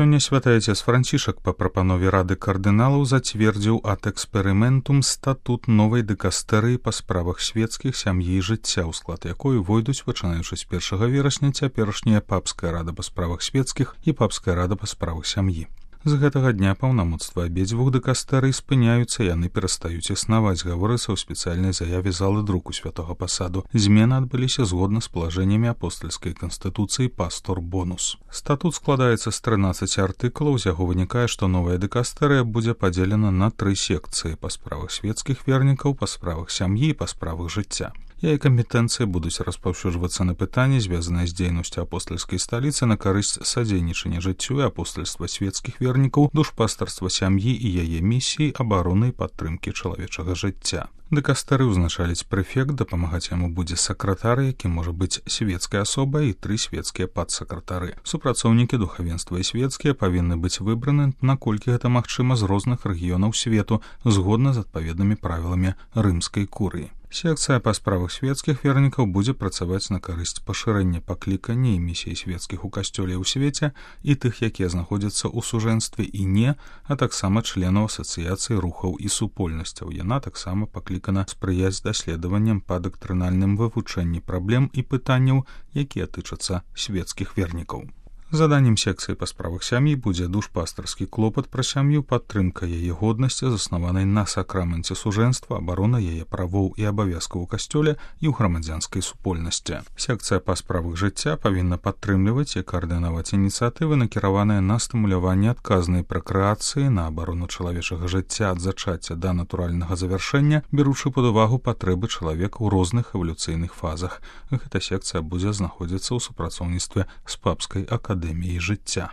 Сёння святы отец Францішак па прапанове Рады кардыналаў зацвердзіў ад эксперыментум статут новай дэкастэрыі па справах свецкіх, сям'і і жыцця, у склад якой увойдуць, пачынаючы з 1 верасня, цяперашняя папская рада па справах свецкіх і папская рада па справах сям'і. З гэтага дня паўнамоцтва абедзвюх дэкастэрый спыняюцца, яны перастаюць існаваць, гаворыцца ў спецыяльнай заяве залы друку святога пасаду. Змены адбыліся згодна з палажэннямі апостальскай канстытуцыі пастор бонус. Статут складаецца з 13 артыкулаў, з яго вынікае, што новая дэкастэрыя будзе падзелена на 3 секцыі: па справах свецкіх вернікаў, па справах сям'і і па справах жыцця. Яе кампетэнцыі будуць распаўсюджвацца на пытанні, звязаныя з дзейнасцю апостальскай сталіцы на карысць садзейнічання жыццю і апостальства свецкіх вернікаў, душпастарства сям'і і яе місіі абароны і падтрымкі чалавечага жыцця. Дэкастэры ўзначаліць прэфект, дапамагаць яму будзе сакратар, які можа быць свецкай асобай, і 3 свецкія падсакратары. Супрацоўнікі духавенства і свецкія павінны быць выбраны, наколькі гэта магчыма, з розных рэгіёнаў свету, згодна з адпаведнымі правіламі рымскай курыі. Секцыя па справах свецкіх вернікаў будзе працаваць на карысць пашырэння паклікання і місіі свецкіх у касцёле ў свеце і тых, якія знаходзяцца ў сужэнстве і не, а таксама членаў асацыяцыі рухаў і супольнасцяў. Яна таксама паклікана спрыяць даследаванням па дактрынальным вывучэнні праблем і пытанняў, якія тычацца свецкіх вернікаў. Заданнем секцыі па справах сям'і будзе душпастарскі клопат пра сям'ю, падтрымка яе годнасці, заснаванай на сакраменце сужэнства, абарона яе правоў і абавязкаў у касцёле і ў грамадзянскай супольнасці. Секцыя па справах жыцця павінна падтрымліваць і каардынаваць ініцыятывы, накіраваныя на стымуляванне адказнай пракрэацыі, на абарону чалавечага жыцця ад зачацця да натуральнага завяршэння, беручы пад увагу патрэбы чалавека ў розных эвалюцыйных фазах. Гэта секцыя будзе знаходзіцца ў супрацоўніцтве з папскай акадэміяй жыцця.